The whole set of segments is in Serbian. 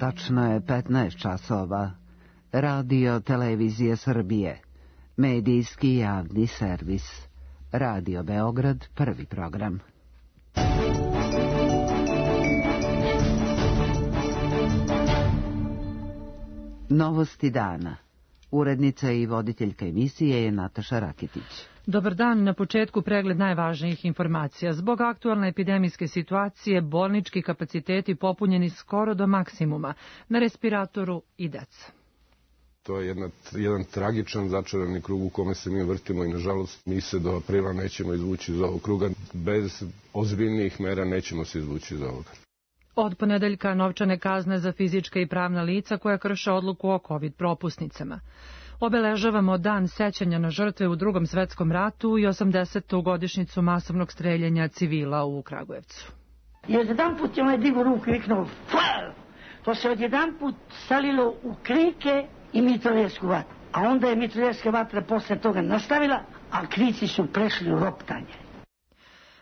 Tačno je 15 časova. Radio Televizije Srbije. Medijski javni servis. Radio Beograd, prvi program. Novosti dana. Urednica i voditeljka emisije je Nataša Rakitić. Dobar dan, na početku pregled najvažnijih informacija. Zbog aktualne epidemijske situacije, bolnički kapaciteti popunjeni skoro do maksimuma. Na respiratoru i deca. To je jedan tragičan začarani krug u kome se mi vrtimo i nažalost mi se do aprila nećemo izvući iz ovog kruga. Bez ozbiljnijih mera nećemo se izvući iz ovoga. Od ponedeljka novčane kazne za fizička i pravna lica koja krše odluku o COVID propusnicama. Obeležavamo dan sećanja na žrtve u Drugom svetskom ratu i 80. godišnjicu masovnog streljanja civila u Kragujevcu. I odjedanput je onaj digo ruku i viknuo fire! To se odjedanput salilo u krike i mitraljevsku vatru. A onda je mitraljevska vatra posle toga nastavila, a krici su prešli u roptanje.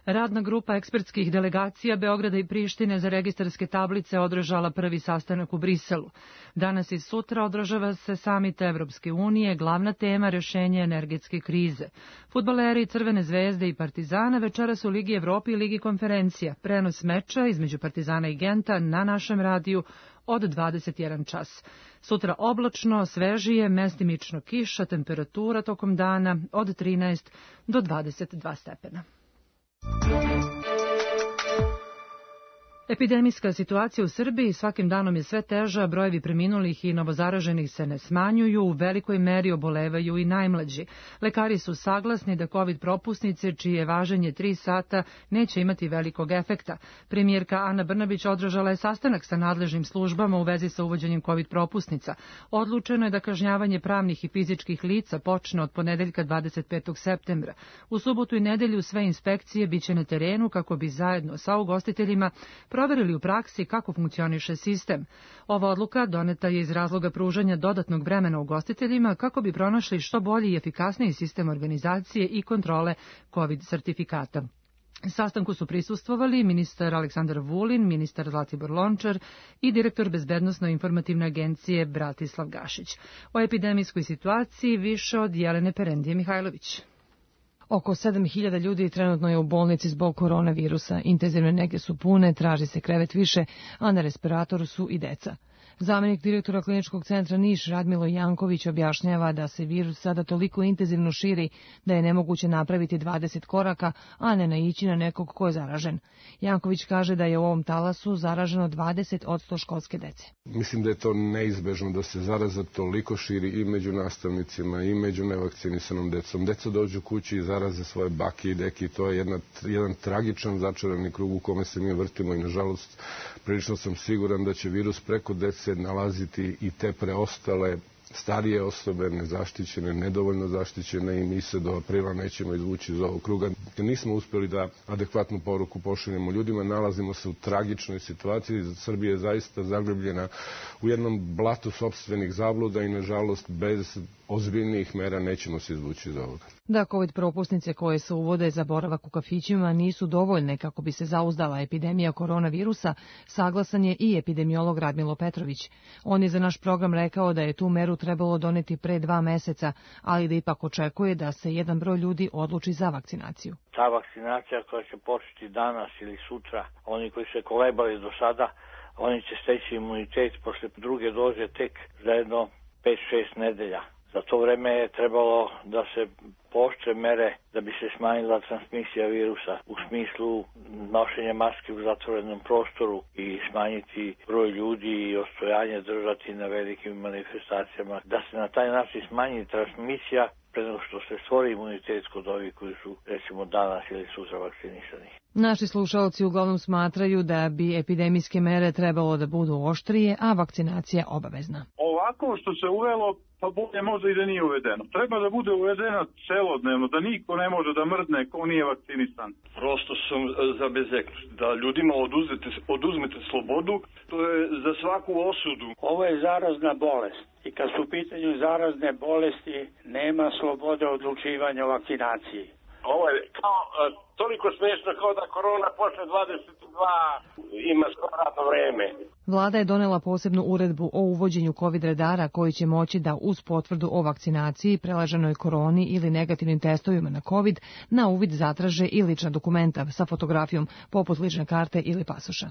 Radna grupa ekspertskih delegacija Beograda i Prištine za registarske tablice održala prvi sastanak u Briselu. Danas i sutra održava se samit Evropske unije, glavna tema rješenje energetske krize. Fudbaleri Crvene zvezde i Partizana večeras u Ligi Evrope i Ligi konferencija. Prenos meča između Partizana i Genta na našem radiju od 21 čas. Sutra oblačno, svežije, mestimično kiša, temperatura tokom dana od 13 do 22 stepena. Epidemijska situacija u Srbiji svakim danom je sve teža, brojevi preminulih i novozaraženih se ne smanjuju, u velikoj meri obolevaju i najmlađi. Lekari su saglasni da COVID propusnice, čije važenje 3 sata, neće imati velikog efekta. Premijerka Ana Brnabić održala je sastanak sa nadležnim službama u vezi sa uvođenjem COVID propusnica. Odlučeno je da kažnjavanje pravnih i fizičkih lica počne od ponedeljka 25. septembra. U subotu i nedelju sve inspekcije biće na terenu kako bi zajedno sa ugostiteljima proverili u praksi kako funkcioniše sistem. Ova odluka doneta je iz razloga pružanja dodatnog vremena ugostiteljima kako bi pronašli što bolji i efikasniji sistem organizacije i kontrole COVID sertifikata. Sastanku su prisustvovali ministar Aleksandar Vulin, ministar Zlatibor Lončar i direktor Bezbednosno-informativne agencije Bratislav Gašić. O epidemijskoj situaciji više od Jelene Perendije Mihajlović. Oko 7.000 ljudi trenutno je u bolnici zbog koronavirusa. Intenzivne nege su pune, traži se krevet više, a na respiratoru su i deca. Zamenik direktora kliničkog centra Niš Radmilo Janković objašnjava da se virus sada toliko intenzivno širi da je nemoguće napraviti 20 koraka, a ne naići na nekog ko je zaražen. Janković kaže da je u ovom talasu zaraženo 20% školske dece. Mislim da je to neizbežno da se zaraza toliko širi i među nastavnicima i među nevakcinisanom decom. Deca dođu kući i zaraze svoje bake i deke. To je jedan tragičan začarani krug u kome se mi vrtimo i nažalost prilično sam siguran da će virus preko dece nalaziti i te preostale starije osobe, nezaštićene, nedovoljno zaštićene i mi se do aprila nećemo izvući iz ovog kruga. Nismo uspjeli da adekvatnu poruku pošaljemo ljudima, nalazimo se u tragičnoj situaciji. Srbija je zaista zagrebljena u jednom blatu sopstvenih zabluda i nažalost bez ozbiljnijih mera nećemo se izvući iz ovoga. Da COVID propusnice koje se uvode za boravak u kafićima nisu dovoljne kako bi se zauzdala epidemija koronavirusa, saglasan je i epidemiolog Radmilo Petrović. On je za naš program rekao da je tu meru trebalo doneti pre 2 meseca, ali da ipak očekuje da se jedan broj ljudi odluči za vakcinaciju. Ta vakcinacija koja će početi danas ili sutra, oni koji se kolebali do sada, oni će steći imunitet posle druge doze tek za jedno 5-6 nedelja. Za to vreme je trebalo da se pooštre mere da bi se smanjila transmisija virusa u smislu nošenja maske u zatvorenom prostoru i smanjiti broj ljudi i ostojanje držati na velikim manifestacijama. Da se na taj način smanji transmisija pre nego što se stvori imunitet kod ovih koji su recimo danas ili sutra vakcinisani. Naši slušalci uglavnom smatraju da bi epidemijske mere trebalo da budu oštrije, a vakcinacija obavezna. Ovako što se uvelo, pa bolje možda i da nije uvedeno. Treba da bude uvedeno celodnevno, da niko ne može da mrdne ko nije vakcinisan. Prosto sam zabezeknut da ljudima oduzmete slobodu, to je za svaku osudu. Ovo je zarazna bolest i kad su u pitanju zarazne bolesti nema slobode odlučivanja o vakcinaciji. Ovo je kao, toliko smiješno kao da korona posle 22 ima skoro radno vreme. Vlada je donela posebnu uredbu o uvođenju COVID redara koji će moći da uz potvrdu o vakcinaciji, preleženoj koroni ili negativnim testovima na COVID na uvid zatraže i lična dokumenta sa fotografijom poput lične karte ili pasoša.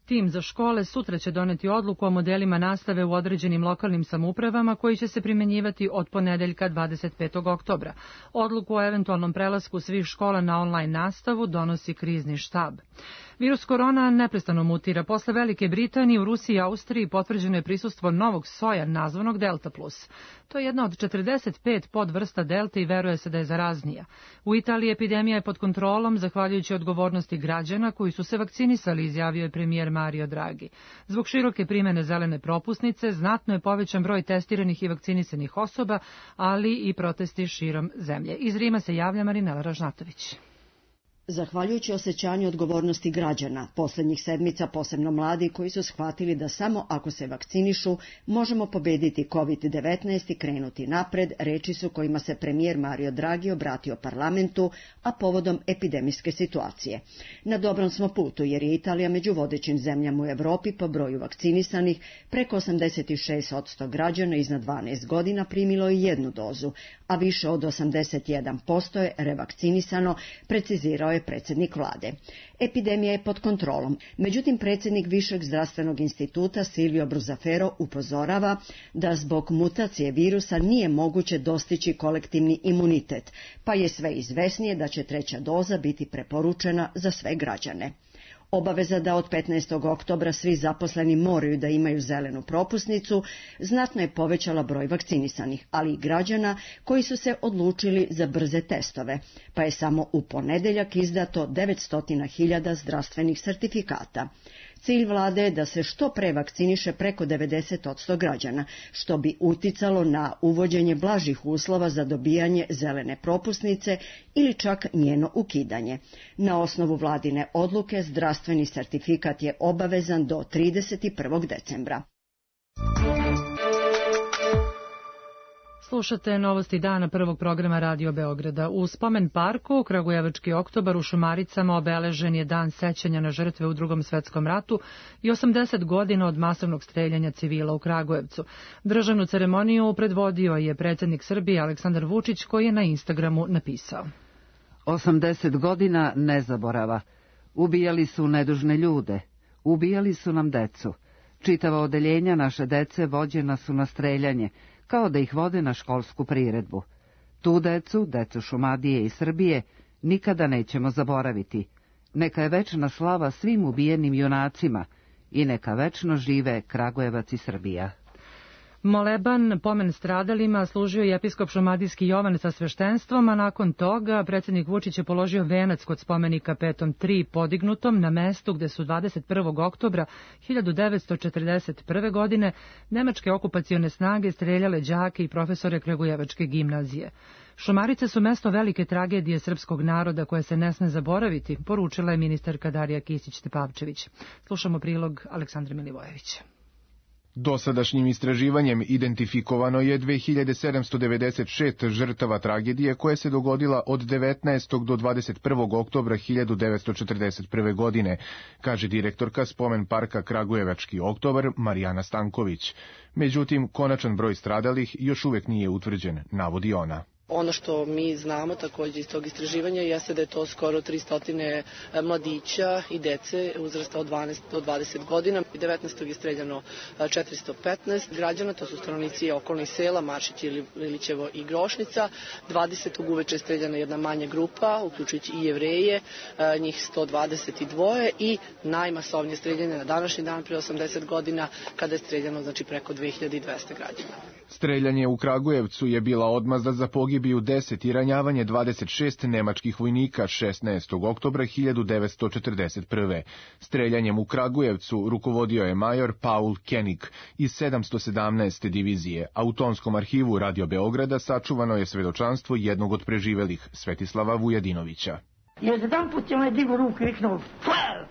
Tim za škole sutra će doneti odluku o modelima nastave u određenim lokalnim samoupravama koji će se primenjivati od ponedeljka 25. oktobra. Odluku o eventualnom prelasku svih škola na online nastavu donosi krizni štab. Virus korona neprestano mutira. Posle Velike Britanije u Rusiji i Austriji potvrđeno je prisustvo novog soja nazvanog Delta Plus. To je jedna od 45 podvrsta Delta i veruje se da je zaraznija. U Italiji epidemija je pod kontrolom zahvaljujući odgovornosti građana koji su se vakcinisali, izjavio je premijer Mario Draghi. Zbog široke primene zelene propusnice znatno je povećan broj testiranih i vakcinisanih osoba, ali i protesti širom zemlje. Iz Rima se javlja Marinela Ražnatović. Zahvaljujući osjećanju odgovornosti građana, posljednjih sedmica posebno mladi koji su shvatili da samo ako se vakcinišu možemo pobediti COVID-19 i krenuti napred, reči su kojima se premijer Mario Draghi obratio parlamentu, a povodom epidemijske situacije. Na dobrom smo putu jer je Italija među vodećim zemljama u Europi po broju vakcinisanih, preko 86% građana iznad 12 godina primilo je jednu dozu, a više od 81% je revakcinisano, precizirao je predsjednik vlade. Epidemija je pod kontrolom, međutim predsjednik Višeg zdravstvenog instituta Silvio Bruzzafero upozorava da zbog mutacije virusa nije moguće dostići kolektivni imunitet, pa je sve izvesnije da će treća doza biti preporučena za sve građane. Obaveza da od 15. oktobra svi zaposleni moraju da imaju zelenu propusnicu znatno je povećala broj vakcinisanih, ali i građana koji su se odlučili za brze testove, pa je samo u ponedeljak izdato 900.000 zdravstvenih sertifikata. Cilj vlade je da se što pre vakciniše preko 90% građana, što bi uticalo na uvođenje blažih uslova za dobijanje zelene propusnice ili čak njeno ukidanje. Na osnovu vladine odluke zdravstveni sertifikat je obavezan do 31. decembra. Slušate novosti dana prvog programa Radio Beograda. U Spomen parku Kragujevački oktobar u Šumaricama obeležen je dan sećanja na žrtve u Drugom svetskom ratu i 80 godina od masovnog streljanja civila u Kragujevcu. Državnu ceremoniju predvodio je predsjednik Srbije Aleksandar Vučić koji je na Instagramu napisao: 80 godina nezaborava. Ubijali su nedužne ljude, ubijali su nam decu. Čitava odeljenja naše dece vođena su na streljanje, kao da ih vode na školsku priredbu. Tu decu Šumadije i Srbije, nikada nećemo zaboraviti. Neka je večna slava svim ubijenim junacima i neka večno žive Kragujevac i Srbija. Moleban pomen stradalima služio je episkop šumadijski Jovan sa sveštenstvom, a nakon toga predsjednik Vučić je položio venac kod spomenika Petom 3 podignutom na mestu gde su 21. oktobra 1941. godine nemačke okupacione snage streljale đake i profesore Kragujevačke gimnazije. Šumarice su mesto velike tragedije srpskog naroda koje se ne sme zaboraviti, poručila je ministarka Darija Kisić-Tepavčević. Slušamo prilog Aleksandra Milivojevića. Dosadašnjim istraživanjem identifikovano je 2796 žrtava tragedije koja se dogodila od 19. do 21. oktobra 1941. godine, kaže direktorka Spomen parka Kragujevački oktobar Marijana Stanković. Međutim, konačan broj stradalih još uvek nije utvrđen, navodi ona. Ono što mi znamo također iz tog istraživanja jeste da je to skoro 300 mladića i dece uzrasta od 12 do 20 godina. 19. je streljano 415 građana, to su stanovnici okolnih sela, Maršić, Lilićevo i Grošnica. 20. uveče je streljana jedna manja grupa, uključujući i Jevreje, njih 122 i najmasovnije streljanje na današnji dan pre 80 godina kada je streljano preko 2200 građana. Streljanje u Kragujevcu je bila odmazda za pogibiju 10 i ranjavanje 26 nemačkih vojnika 16. oktobra 1941. Streljanjem u Kragujevcu rukovodio je major Paul Koenig iz 717. divizije, a u tonskom arhivu Radio Beograda sačuvano je svedočanstvo jednog od preživelih, Svetislava Vujadinovića. I odjedanput je onaj digo ruku i reknuo fire!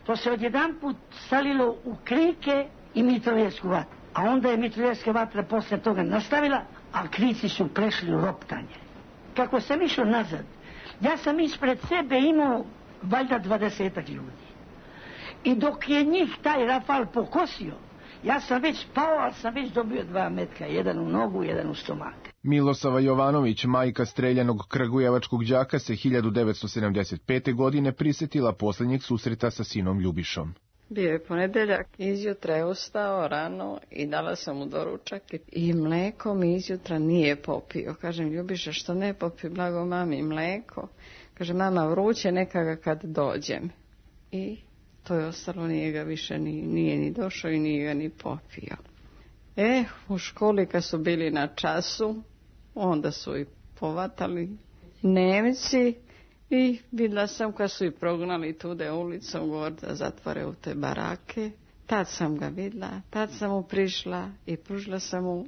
To se odjedanput salilo u krike i mitraljevsku vatru. A onda je mitraljevska vatra posle toga nastavila, a krici su prešli u roptanje. Kako sam išao nazad, Ja sam ispred sebe imao valjda 20 ljudi. I dok je njih taj rafal pokosio, ja sam već pao, ali sam već dobio 2 metka, jedan u nogu, jedan u stomak. Milosava Jovanović, majka streljanog kragujevačkog đaka, se 1975. godine prisetila posljednjeg susreta sa sinom Ljubišom. Bio je ponedeljak, izjutra je ustao rano i dala sam mu doručak i mleko mi izjutra nije popio. Kažem, Ljubiša, što ne popi, blago mami, mleko? Kaže, mama, vruće, neka ga kad dođem. I to je ostalo, nije ga više, nije ni došao i nije ga ni popio. U školi kad su bili na času, onda su i povatali Nemci i vidjela sam kad su i prognali tude ulicom gore da zatvore u te barake. Tad sam ga vidjela, tad sam mu prišla i pružila sam mu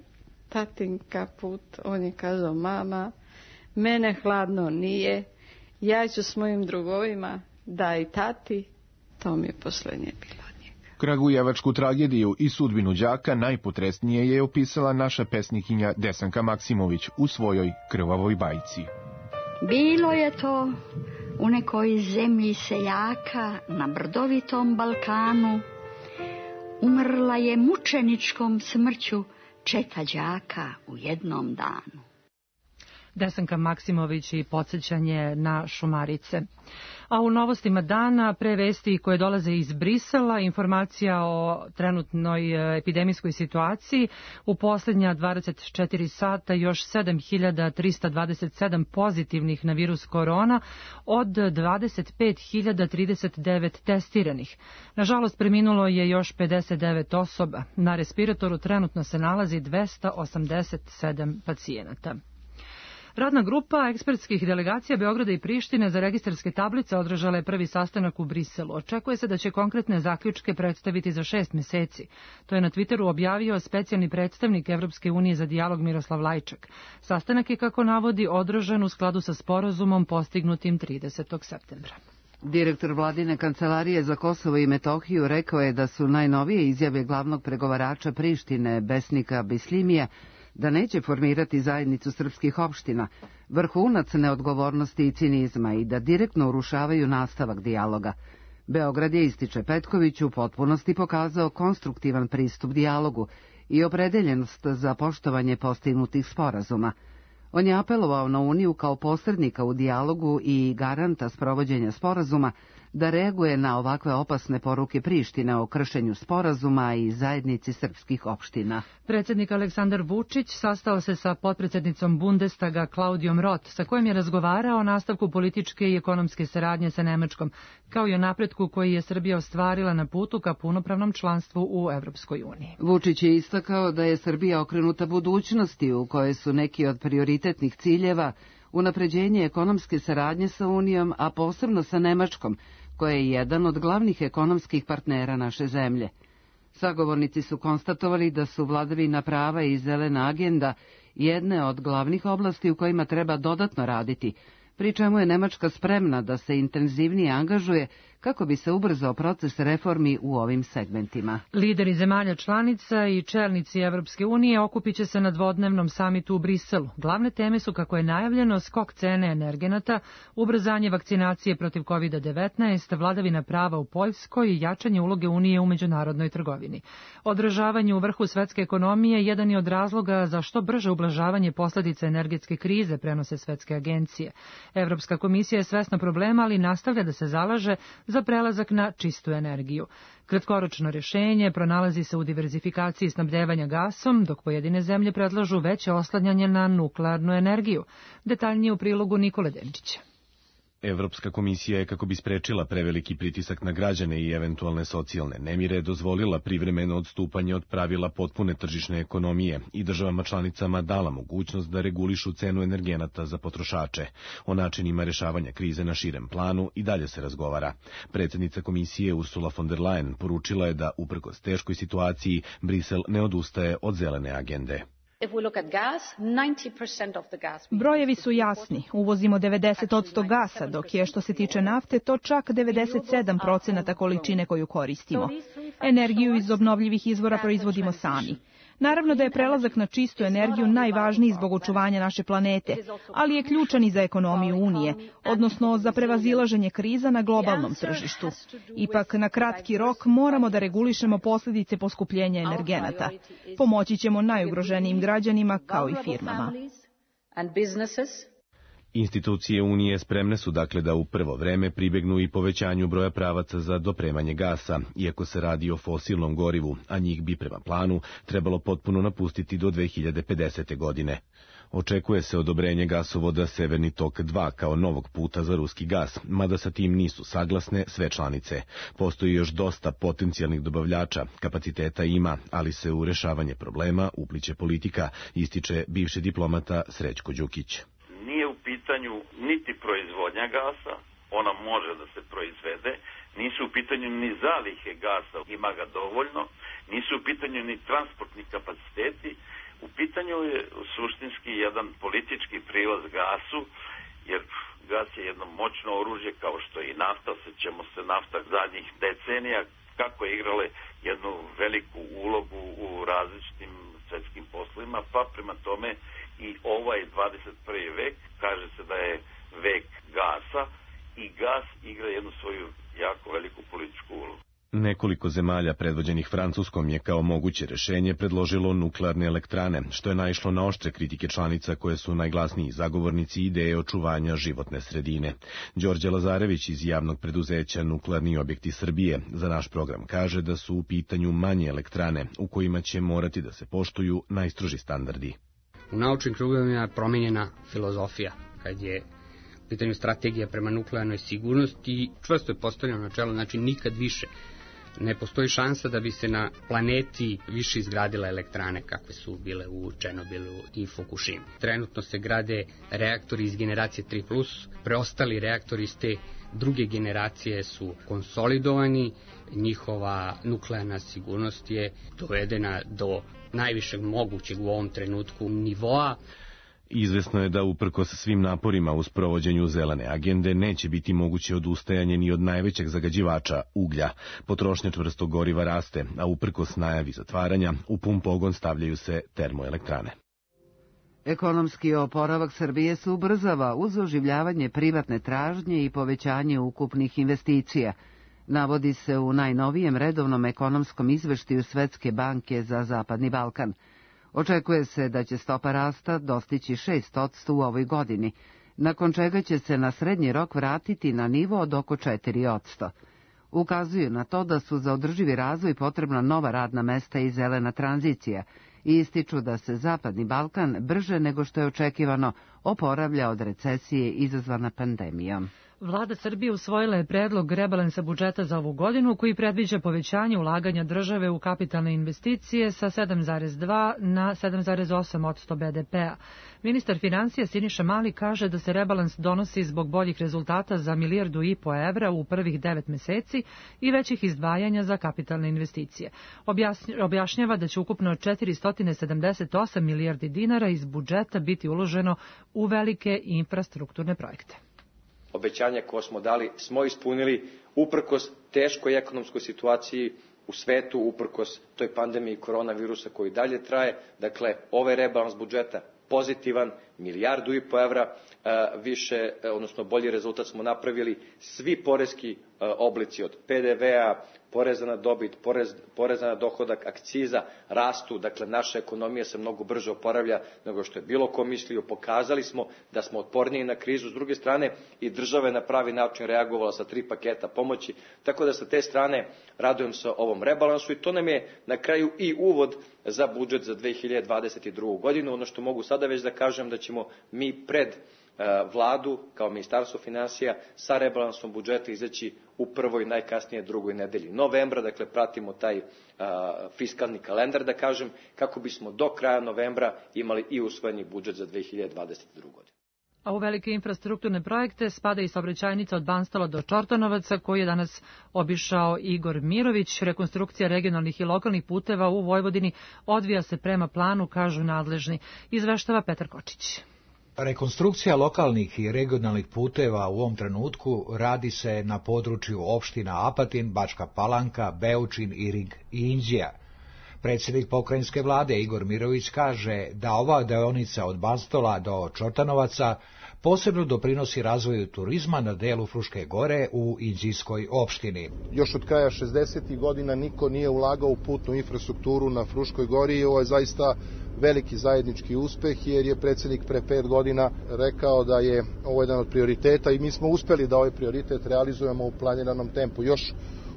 tatin kaput. On je kazao, mama, mene hladno nije, ja ću s mojim drugovima, daj tati. To mi je posljednje bilo. Kragujevačku tragediju i sudbinu đaka najpotresnije je opisala naša pesnikinja Desanka Maksimović u svojoj Krvavoj bajci. Bilo je to u nekoj zemlji seljaka na brdovitom Balkanu. Umrla je mučeničkom smrću četa đaka u jednom danu. Desanka Maksimović i podsjećanje na Šumarice. A u novostima dana, pre vesti koje dolaze iz Brisela, informacija o trenutnoj epidemijskoj situaciji. U posljednja 24 sata još 7327 pozitivnih na virus korona od 25.039 testiranih. Nažalost, preminulo je još 59 osoba. Na respiratoru trenutno se nalazi 287 pacijenata. Radna grupa ekspertskih delegacija Beograda i Prištine za registarske tablice održala je prvi sastanak u Briselu. Očekuje se da će konkretne zaključke predstaviti za 6 meseci. To je na Twitteru objavio specijalni predstavnik Evropske unije za dijalog Miroslav Lajčak. Sastanak je, kako navodi, održan u skladu sa sporazumom postignutim 30. septembra. Direktor vladine kancelarije za Kosovo i Metohiju rekao je da su najnovije izjave glavnog pregovarača Prištine, Besnika Bislimija, da neće formirati zajednicu srpskih opština, vrhunac neodgovornosti i cinizma i da direktno urušavaju nastavak dijaloga. Beograd je, ističe Petković, u potpunosti pokazao konstruktivan pristup dijalogu i opredeljenost za poštovanje postignutih sporazuma. On je apelovao na Uniju kao posrednika u dijalogu i garanta sprovođenja sporazuma da reaguje na ovakve opasne poruke Prištine o kršenju sporazuma i zajednici srpskih opština. Predsjednik Aleksandar Vučić sastao se sa potpredsjednicom Bundestaga Klaudijom Roth, sa kojim je razgovarao o nastavku političke i ekonomske saradnje sa Nemačkom, kao i o napretku koji je Srbija ostvarila na putu ka punopravnom članstvu u Evropskoj uniji. Vučić je istakao da je Srbija okrenuta budućnosti u kojoj su neki od prioritetnih ciljeva unapređenje ekonomske saradnje sa Unijom, a posebno sa Nemačkom, koja je jedan od glavnih ekonomskih partnera naše zemlje. Sagovornici su konstatovali da su vladavina prava i zelena agenda jedne od glavnih oblasti u kojima treba dodatno raditi, pri čemu je Nemačka spremna da se intenzivnije angažuje kako bi se ubrzao proces reformi u ovim segmentima. Lideri zemalja članica i čelnici Evropske unije okupit će se na dvodnevnom samitu u Briselu. Glavne teme su, kako je najavljeno, skok cene energenata, ubrzanje vakcinacije protiv COVID-19, vladavina prava u Poljskoj i jačanje uloge Unije u međunarodnoj trgovini. Održavanje u vrhu svetske ekonomije jedan je od razloga za što brže ublažavanje posljedica energetske krize, prenose svetske agencije. Evropska komisija je svesna problema, ali nastavlja da se zalaže za prelazak na čistu energiju. Kratkoročno rješenje pronalazi se u diverzifikaciji snabdevanja gasom, dok pojedine zemlje predlažu veće oslanjanje na nuklearnu energiju. Detaljnije u prilogu Nikole Denčića. Evropska komisija je, kako bi sprečila preveliki pritisak na građane i eventualne socijalne nemire, dozvolila privremeno odstupanje od pravila potpune tržišne ekonomije i državama članicama dala mogućnost da regulišu cenu energenata za potrošače. O načinima rješavanja krize na širem planu i dalje se razgovara. Predsjednica komisije Ursula von der Leyen poručila je da, uprkos teškoj situaciji, Brisel ne odustaje od zelene agende. Brojevi su jasni. Uvozimo 90% gasa, dok je, što se tiče nafte, to čak 97% količine koju koristimo. Energiju iz obnovljivih izvora proizvodimo sami. Naravno da je prelazak na čistu energiju najvažniji zbog očuvanja naše planete, ali je ključan i za ekonomiju Unije, odnosno za prevazilaženje kriza na globalnom tržištu. Ipak, na kratki rok moramo da regulišemo posljedice poskupljenja energenata. Pomoći ćemo najugroženijim građanima kao i firmama. Institucije Unije spremne su dakle da u prvo vreme pribegnu i povećanju broja pravaca za dopremanje gasa, iako se radi o fosilnom gorivu, a njih bi prema planu trebalo potpuno napustiti do 2050. godine. Očekuje se odobrenje gasovoda Severni tok 2 kao novog puta za ruski gas, mada sa tim nisu saglasne sve članice. Postoji još dosta potencijalnih dobavljača, kapaciteta ima, ali se u rešavanje problema upliće politika, ističe bivši diplomata Srećko Đukić. Nije u pitanju niti proizvodnja gasa, ona može da se proizvede, nisu u pitanju ni zalihe gasa, ima ga dovoljno, nisu u pitanju ni transportni kapaciteti, u pitanju je suštinski jedan politički prilaz gasu, jer gas je jedno moćno oružje kao što je i nafta, sećamo se nafta zadnjih decenija, kako je igrale jednu veliku ulogu u različitim svetskim poslovima, pa prema tome i ovaj 21. vek, kaže se da je vek gasa i gas igra jednu svoju jako veliku političku ulogu. Nekoliko zemalja predvođenih Francuskom je kao moguće rešenje predložilo nuklearne elektrane, što je naišlo na oštre kritike članica koje su najglasniji zagovornici ideje očuvanja životne sredine. Đorđe Lazarević iz javnog preduzeća Nuklearni objekti Srbije za naš program kaže da su u pitanju manje elektrane u kojima će morati da se poštuju najstroži standardi. U naučnim krugovima je promenjena filozofija kad je u pitanju strategija prema nuklearnoj sigurnosti, čvrsto je postavljeno načelo, znači nikad više. Ne postoji šansa da bi se na planeti više izgradile elektrane kakve su bile u Černobilu i Fukushimi. Trenutno se grade reaktori iz generacije 3+, preostali reaktori iz te druge generacije su konsolidovani, njihova nuklearna sigurnost je dovedena do najvišeg mogućeg u ovom trenutku nivoa. Izvesno je da uprkos svim naporima u sprovođenju zelene agende neće biti moguće odustajanje ni od najvećeg zagađivača, uglja. Potrošnja čvrstog goriva raste, a uprkos najavi zatvaranja, u pun pogon stavljaju se termoelektrane. Ekonomski oporavak Srbije se ubrzava uz oživljavanje privatne tražnje i povećanje ukupnih investicija. Navodi se u najnovijem redovnom ekonomskom izveštaju Svetske banke za Zapadni Balkan. Očekuje se da će stopa rasta dostići 6% u ovoj godini, nakon čega će se na srednji rok vratiti na nivo od oko 4%. Ukazuju na to da su za održivi razvoj potrebna nova radna mesta i zelena tranzicija i ističu da se Zapadni Balkan brže nego što je očekivano oporavlja od recesije izazvana pandemijom. Vlada Srbije usvojila je predlog rebalansa budžeta za ovu godinu koji predviđa povećanje ulaganja države u kapitalne investicije sa 7,2 na 7,8% BDP-a. Ministar finansija Siniša Mali kaže da se rebalans donosi zbog boljih rezultata za 1,5 milijardu evra u prvih 9 meseci i većih izdvajanja za kapitalne investicije. Objašnjava da će ukupno 478 milijardi dinara iz budžeta biti uloženo u velike infrastrukturne projekte. Obećanja koje smo dali smo ispunili uprkos teškoj ekonomskoj situaciji u svetu, uprkos toj pandemiji koronavirusa koji dalje traje. Dakle, ovaj rebalans budžeta pozitivan, 1,5 milijardu evra više, odnosno bolji rezultat smo napravili. Svi poreski oblici od PDV-a, poreza na dobit, poreza na dohodak, akciza rastu, dakle naša ekonomija se mnogo brže oporavlja nego što je bilo ko mislio. Pokazali smo da smo otporniji na krizu, s druge strane i država je na pravi način reagovala sa 3 paketa pomoći, tako da sa te strane radujem se ovom rebalansu i to nam je na kraju i uvod za budžet za 2022. godinu. Ono što mogu sada već da kažem da ćemo mi pred Vladu kao Ministarstvo finansija sa rebalansom budžeta izaći u prvoj, najkasnije drugoj nedelji novembra, dakle pratimo taj fiskalni kalendar, da kažem, kako bismo do kraja novembra imali i usvojeni budžet za 2022. godinu. A u velike infrastrukturne projekte spada i saobraćajnica od Banstola do Čortanovaca, koju je danas obišao Igor Mirović. Rekonstrukcija regionalnih i lokalnih puteva u Vojvodini odvija se prema planu, kažu nadležni. Izveštava Petar Kočić. Rekonstrukcija lokalnih i regionalnih puteva u ovom trenutku radi se na području opština Apatin, Bačka Palanka, Beočin, Irig i Inđija. Predsjednik pokrajinske vlade Igor Mirović kaže da ova deonica od Banstola do Čortanovaca posebno doprinosi razvoju turizma na delu Fruške gore u Inđijskoj opštini. Još od kraja 60. godina niko nije ulagao u putnu infrastrukturu na Fruškoj gori i ovo je zaista veliki zajednički uspeh, jer je predsjednik pre 5 godina rekao da je ovo jedan od prioriteta i mi smo uspeli da ovaj prioritet realizujemo u planiranom tempu. Još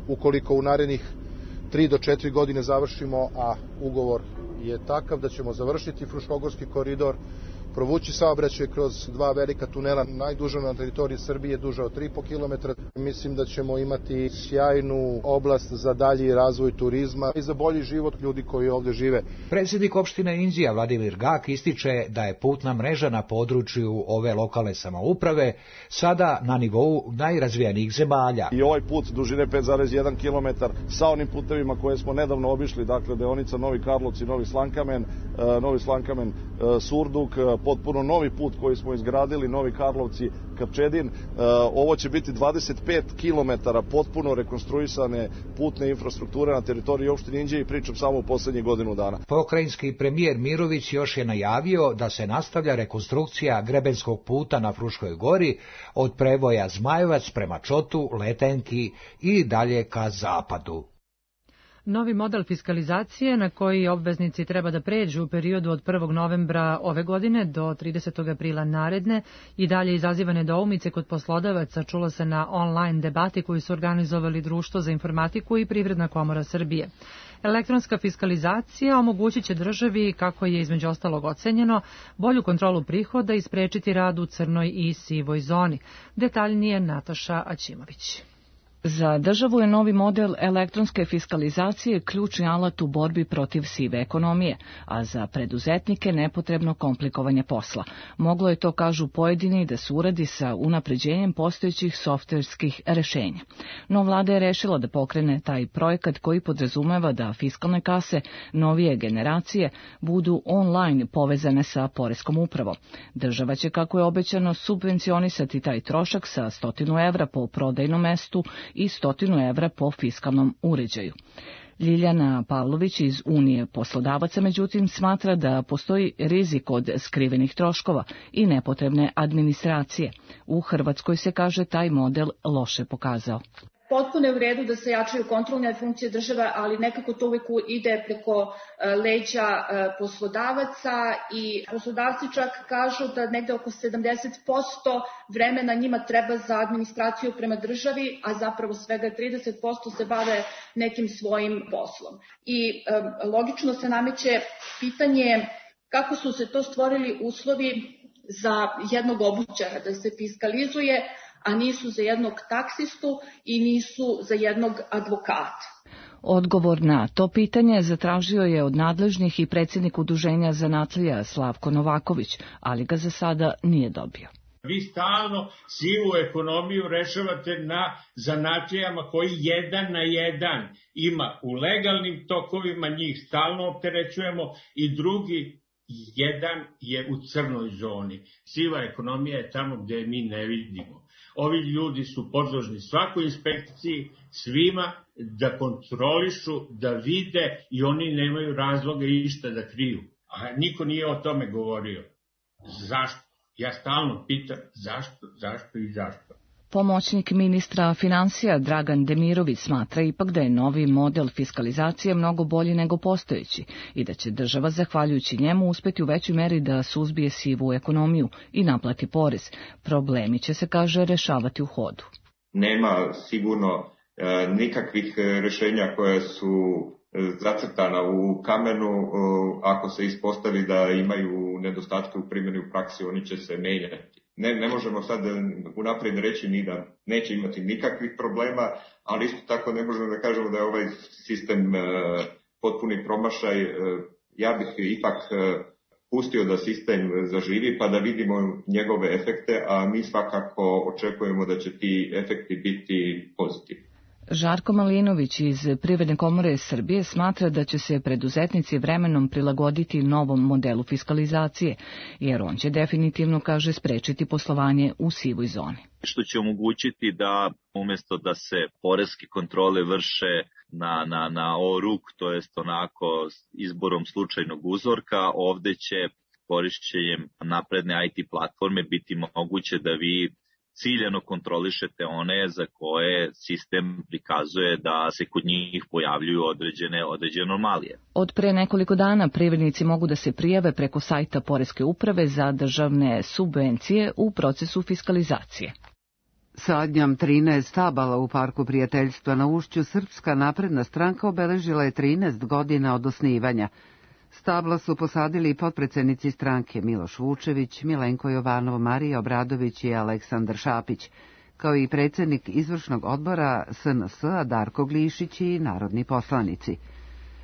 ukoliko u narednih 3 do 4 godine završimo, a ugovor je takav da ćemo završiti Fruškogorski koridor, provući saobraćaj kroz 2 velika tunela, najduža na teritoriji Srbije, duža od 3,5 km. Mislim da ćemo imati sjajnu oblast za dalji razvoj turizma i za bolji život ljudi koji ovdje žive. Predsjednik opštine Inđija Vladimir Gak ističe da je putna mreža na području ove lokalne samouprave sada na nivou najrazvijenijih zemalja. I ovaj put dužine 5,1 km sa onim putevima koje smo nedavno obišli, dakle deonica Novi Karlovci, Novi Slankamen, Surduk, potpuno novi put koji smo izgradili, Novi Karlovci, Kapčedin. Ovo će biti 25 km potpuno rekonstruisane putne infrastrukture na teritoriji opštine Inđije i pričam samo u poslednjih godinu dana. Pokrajinski premijer Mirović još je najavio da se nastavlja rekonstrukcija grebenskog puta na Fruškoj gori od prevoja Zmajevac prema Čotu, Letenki i dalje ka zapadu. Novi model fiskalizacije na koji obveznici treba da pređu u periodu od 1. novembra ove godine do 30. aprila naredne i dalje izaziva nedoumice kod poslodavaca, čulo se na online debati koju su organizovali Društvo za informatiku i Privredna komora Srbije. Elektronska fiskalizacija omogućit će državi, kako je između ostalog ocenjeno, bolju kontrolu prihoda i sprečiti rad u crnoj i sivoj zoni. Detaljnije Nataša Aćimović. Za državu je novi model elektronske fiskalizacije ključni alat u borbi protiv sive ekonomije, a za preduzetnike nepotrebno komplikovanje posla. Moglo je to, kažu pojedini, da se uradi sa unapređenjem postojećih softverskih rešenja. No vlada je rešila da pokrene taj projekat koji podrazumeva da fiskalne kase novije generacije budu online povezane sa poreskom upravom. Država će, kako je obećano, subvencionisati taj trošak sa 100 evra po prodajnom mestu i 100 evra po fiskalnom uređaju. Ljiljana Pavlović iz Unije poslodavaca, međutim, smatra da postoji rizik od skrivenih troškova i nepotrebne administracije. U Hrvatskoj se, kaže, taj model loše pokazao. Potpuno je u redu da se jačaju kontrolne funkcije države, ali nekako to uvijek ide preko leđa poslodavaca i poslodavci čak kažu da negde oko 70% vremena njima treba za administraciju prema državi, a zapravo svega 30% se bave nekim svojim poslom. I logično se nameće pitanje kako su se to stvorili uslovi za jednog obućara da se fiskalizuje, a nisu za jednog taksistu i nisu za jednog advokata. Odgovor na to pitanje zatražio je od nadležnih i predsjednik udruženja zanatlija Slavko Novaković, ali ga za sada nije dobio. Vi stalno sivu ekonomiju rešavate na zanatlijama koji 1 na 1 ima u legalnim tokovima, njih stalno opterećujemo i drugi jedan je u crnoj zoni. Siva ekonomija je tamo gdje mi ne vidimo. Ovi ljudi su podložni svakoj inspekciji, svima da kontrolišu, da vide i oni nemaju razloga išta da kriju. A niko nije o tome govorio. Zašto? Ja stalno pitam zašto. Pomoćnik ministra finansija Dragan Demirović smatra ipak da je novi model fiskalizacije mnogo bolji nego postojeći i da će država, zahvaljujući njemu, uspeti u većoj meri da suzbije sivu ekonomiju i naplati porez. Problemi će se, kaže, rešavati u hodu. Nema sigurno nikakvih rešenja koja su zacrtana u kamenu. Ako se ispostavi da imaju nedostatke u primjeni u praksi, oni će se menjati. Ne možemo sad unaprijed reći ni da neće imati nikakvih problema, ali isto tako ne možemo da kažemo da je ovaj sistem potpuni promašaj. Ja bih ipak pustio da sistem zaživi pa da vidimo njegove efekte, a mi svakako očekujemo da će ti efekti biti pozitivni. Žarko Malinović iz Privredne komore Srbije smatra da će se preduzetnici vremenom prilagoditi novom modelu fiskalizacije, jer on će definitivno, kaže, sprečiti poslovanje u sivoj zoni. Što će omogućiti da umjesto da se poreske kontrole vrše na oruk, to jest onako izborom slučajnog uzorka, ovde će korišćenjem napredne IT platforme biti moguće da vi ciljano kontrolišete one za koje sistem prikazuje da se kod njih pojavljuju određene anomalije. Od pre nekoliko dana privrednici mogu da se prijave preko sajta Poreske uprave za državne subvencije u procesu fiskalizacije. Sadnjom 13 stabala u Parku prijateljstva na Ušću Srpska napredna stranka obeležila je 13 godina od osnivanja. Stabla su posadili i potpredsednici stranke Miloš Vučević, Milenko Jovanov, Marija Obradović i Aleksandar Šapić, kao i predsednik izvršnog odbora SNS-a Darko Glišić i narodni poslanici.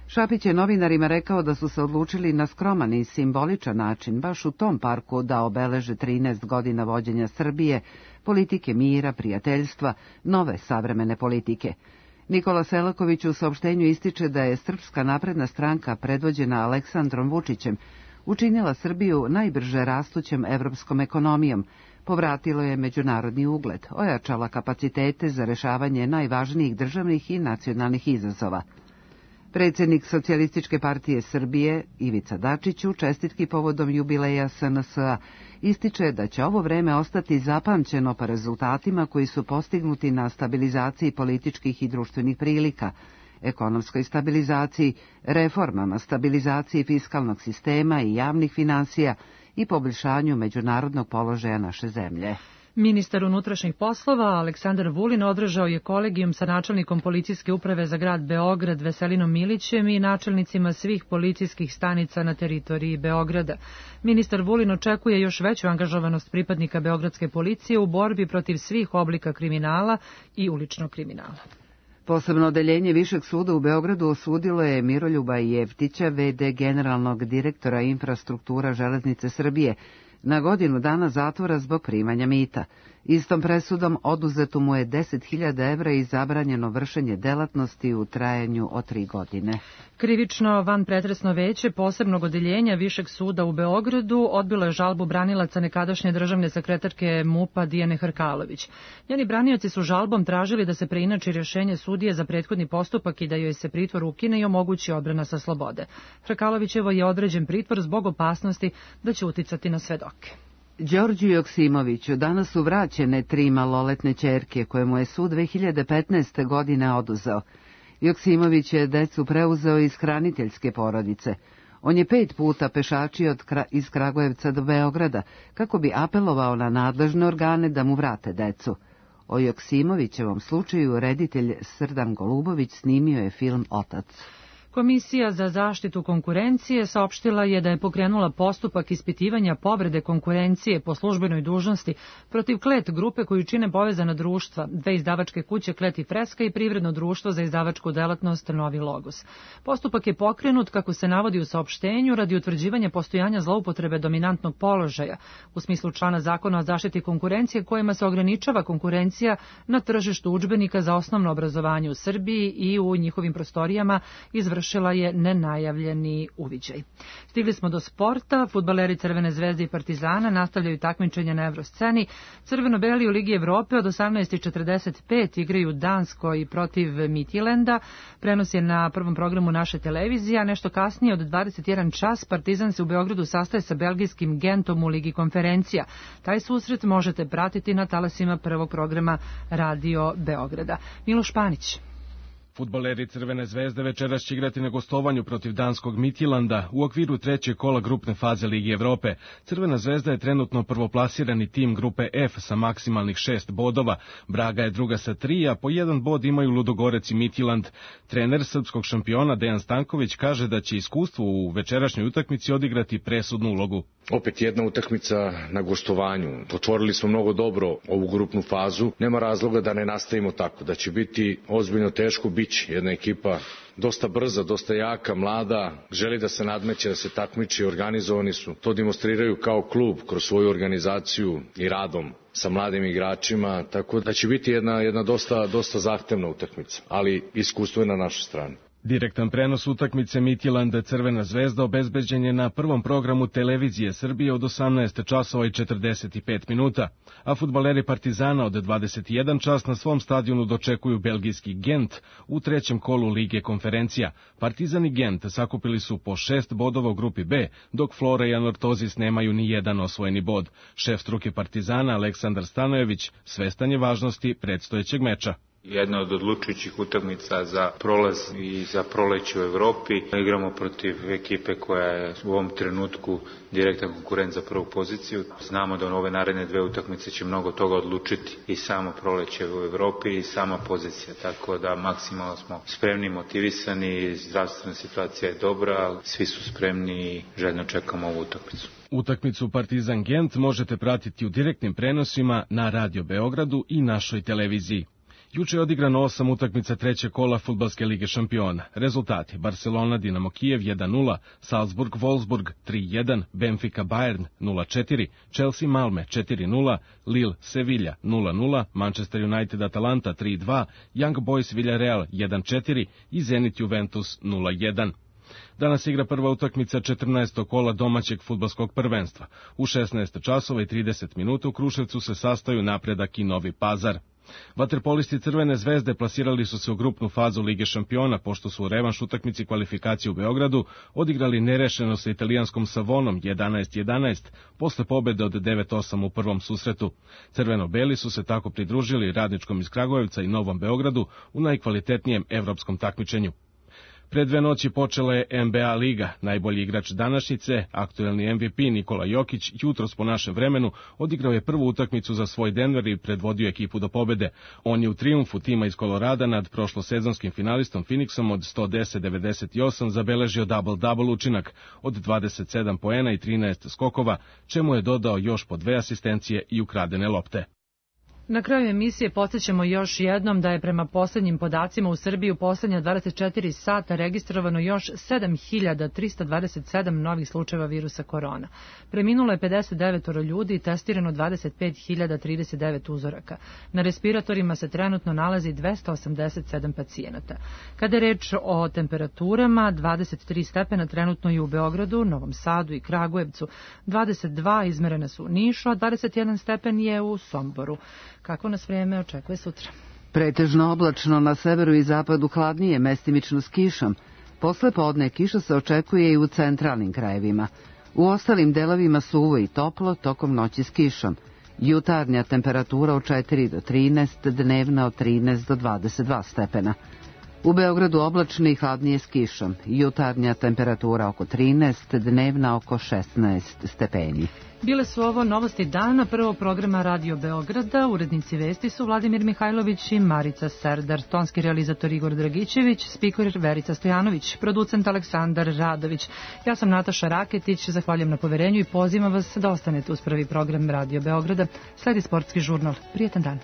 Šapić je novinarima rekao da su se odlučili na skroman i simboličan način baš u tom parku da obeleže 13 godina vođenja Srbije, politike mira, prijateljstva, nove savremene politike. Nikola Selaković u saopštenju ističe da je Srpska napredna stranka predvođena Aleksandrom Vučićem učinila Srbiju najbrže rastućem evropskom ekonomijom, povratilo je međunarodni ugled, ojačala kapacitete za rešavanje najvažnijih državnih i nacionalnih izazova. Predsjednik Socijalističke partije Srbije, Ivica Dačić, u čestitki povodom jubileja SNS-a ističe da će ovo vreme ostati zapamćeno po rezultatima koji su postignuti na stabilizaciji političkih i društvenih prilika, ekonomskoj stabilizaciji, reformama, stabilizaciji fiskalnog sistema i javnih finansija i poboljšanju međunarodnog položaja naše zemlje. Ministar unutrašnjih poslova Aleksandar Vulin održao je kolegijum sa načelnikom policijske uprave za grad Beograd Veselinom Milićem i načelnicima svih policijskih stanica na teritoriji Beograda. Ministar Vulin očekuje još veću angažovanost pripadnika beogradske policije u borbi protiv svih oblika kriminala i uličnog kriminala. Posebno odeljenje Višeg suda u Beogradu osudilo je Miroljuba Jeftića, v.d. generalnog direktora infrastruktura Železnice Srbije, na godinu dana zatvora zbog primanja mita. Istom presudom oduzeto mu je 10.000 evra i zabranjeno vršenje delatnosti u trajanju od 3 godine. Krivično vanpretresno veće posebnog odeljenja Višeg suda u Beogradu odbilo je žalbu branilaca nekadašnje državne sekretarke MUP-a Dijane Hrkalović. Njeni branioci su žalbom tražili da se preinači rješenje sudije za prethodni postupak i da joj se pritvor ukine i omogući odbrana sa slobode. Hrkalovićevo je određen pritvor zbog opasnosti da će uticati na svedoke. Đorđu Joksimoviću danas su vraćene 3 maloletne ćerke koje mu je sud 2015. godine oduzeo. Joksimović je decu preuzeo iz hraniteljske porodice. On je 5 puta pešačio iz Kragujevca do Beograda kako bi apelovao na nadležne organe da mu vrate decu. O Joksimovićevom slučaju reditelj Srdan Golubović snimio je film Otac. Komisija za zaštitu konkurencije saopštila je da je pokrenula postupak ispitivanja povrede konkurencije po službenoj dužnosti protiv Klet grupe koju čine povezana društva, 2 izdavačke kuće Klet i Freska i privredno društvo za izdavačku delatnost Novi Logos. Postupak je pokrenut, kako se navodi u saopštenju, radi utvrđivanja postojanja zloupotrebe dominantnog položaja, u smislu člana Zakona o zaštiti konkurencije kojima se ograničava konkurencija na tržištu udžbenika za osnovno obrazovanje u Srbiji i u njihovim prostorijama izvršila je nenajavljeni uviđaj. Stigli smo do sporta. Fudbaleri Crvene zvezde i Partizana nastavljaju takmičenje na Evrosceni. Crveno-beli u Ligi Evrope od 18:45 igraju Danskoj protiv Midtjylanda. Prenos je na prvom programu naše televizije, a nešto kasnije od 21 čas Partizan se u Beogradu sastaje sa belgijskim Gentom u Ligi konferencija. Taj susret možete pratiti na talasima prvog programa Radio Beograda. Miloš Panić. Fudbaleri Crvene zvezde večeras će igrati na gostovanju protiv danskog Midtjylanda u okviru 3. kola grupne faze Ligi Evrope. Crvena zvezda je trenutno prvoplasirani tim grupe F sa maksimalnih 6 bodova. Braga je druga sa 3, a po 1 bod imaju Ludogorec i Midtjylland. Trener srpskog šampiona Dejan Stanković kaže da će iskustvo u večerašnjoj utakmici odigrati presudnu ulogu. Opet jedna utakmica na gostovanju. Otvorili smo mnogo dobro ovu grupnu fazu. Nema razloga da ne nastavimo tako. Da će biti ozbiljno teško, biće jedna ekipa dosta brza, dosta jaka, mlada, želi da se nadmeće, da se takmiči, organizovani su. To demonstriraju kao klub kroz svoju organizaciju i radom sa mladim igračima, tako da će biti jedna dosta zahtevna utakmica, ali iskustvo je na našoj strani. Direktan prenos utakmice Midtjylland Crvena zvezda obezbeđen je na prvom programu televizije Srbije od 18 časova i 45 minuta, a fudbaleri Partizana od 21 čas na svom stadionu dočekuju belgijski Gent u trećem kolu Lige konferencija. Partizan i Gent sakupili su po 6 bodova u grupi B, dok Flora i Anortozis nemaju ni jedan osvojeni bod. Šef struke Partizana Aleksandar Stanojević svestan je važnosti predstojećeg meča. Jedna od odlučujućih utakmica za prolaz i za proleće u Evropi. Igramo protiv ekipe koja je u ovom trenutku direktan konkurent za prvu poziciju. Znamo da ove naredne dve utakmice će mnogo toga odlučiti i samo proleće u Evropi i sama pozicija. Tako da maksimalno smo spremni, motivisani, zdravstvena situacija je dobra, svi su spremni i željno čekamo ovu utakmicu. Utakmicu Partizan Gent možete pratiti u direktnim prenosima na Radio Beogradu i našoj televiziji. Juče je odigrano 8 utakmica trećeg kola Fudbalske lige šampiona. Rezultati: Barcelona Dinamo Kijev 1-0, Salzburg Wolfsburg 3-1, Benfica Bayern 0-4, Chelsea Malme 4-0, Lille Sevilla 0-0, Manchester United Atalanta 3-2, Young Boys Villarreal 1-4 i Zenit Juventus 0-1. Danas igra prva utakmica 14. kola domaćeg fudbalskog prvenstva. U 16 časova i 30 minuta u Kruševcu se sastaju Napredak i Novi Pazar. Vaterpolisti Crvene zvezde plasirali su se u grupnu fazu Lige šampiona, pošto su u revanš utakmici kvalifikacije u Beogradu odigrali nerešeno sa italijanskom Savonom 11-11, posle pobede od 9-8 u prvom susretu. Crveno-beli su se tako pridružili Radničkom iz Kragujevca i Novom Beogradu u najkvalitetnijem evropskom takmičenju. Pre 2 noći počela je NBA liga. Najbolji igrač današnjice, aktuelni MVP Nikola Jokić, jutros po našem vremenu odigrao je prvu utakmicu za svoj Denver i predvodio ekipu do pobede. On je u trijumfu tima iz Kolorada nad prošlosezonskim finalistom Phoenixom od 110-98 zabeležio double-double učinak od 27 poena i 13 skokova, čemu je dodao još po 2 asistencije i ukradene lopte. Na kraju emisije podsjećamo još jednom da je prema poslednjim podacima u Srbiji u poslednja 24 sata registrovano još 7.327 novih slučajeva virusa korona. Preminulo je 59 ljudi i testirano 25.039 uzoraka. Na respiratorima se trenutno nalazi 287 pacijenata. Kada je reč o temperaturama, 23 stepena trenutno je u Beogradu, Novom Sadu i Kragujevcu, 22 izmerena su u Nišu, a 21 stepen je u Somboru. Kako nas vrijeme očekuje sutra? Pretežno oblačno, na severu i zapadu hladnije, mestimično s kišom. Posle podne kiša se očekuje i u centralnim krajevima. U ostalim delovima suvo i toplo, tokom noći s kišom. Jutarnja temperatura od 4 do 13, dnevna od 13 do 22 stepena. U Beogradu oblačno i hladnije s kišom. Jutarnja temperatura oko 13, dnevna oko 16 stepeni. Bile su ovo novosti dana prvog programa Radio Beograda. Urednici vesti su Vladimir Mihajlović i Marica Serdar, tonski realizator Igor Dragićević, spiker Verica Stojanović, producent Aleksandar Radović. Ja sam Nataša Raketić, zahvaljujem na poverenju i pozivam vas da ostanete uz prvi program Radio Beograda. Sledi sportski žurnal. Prijetan dan.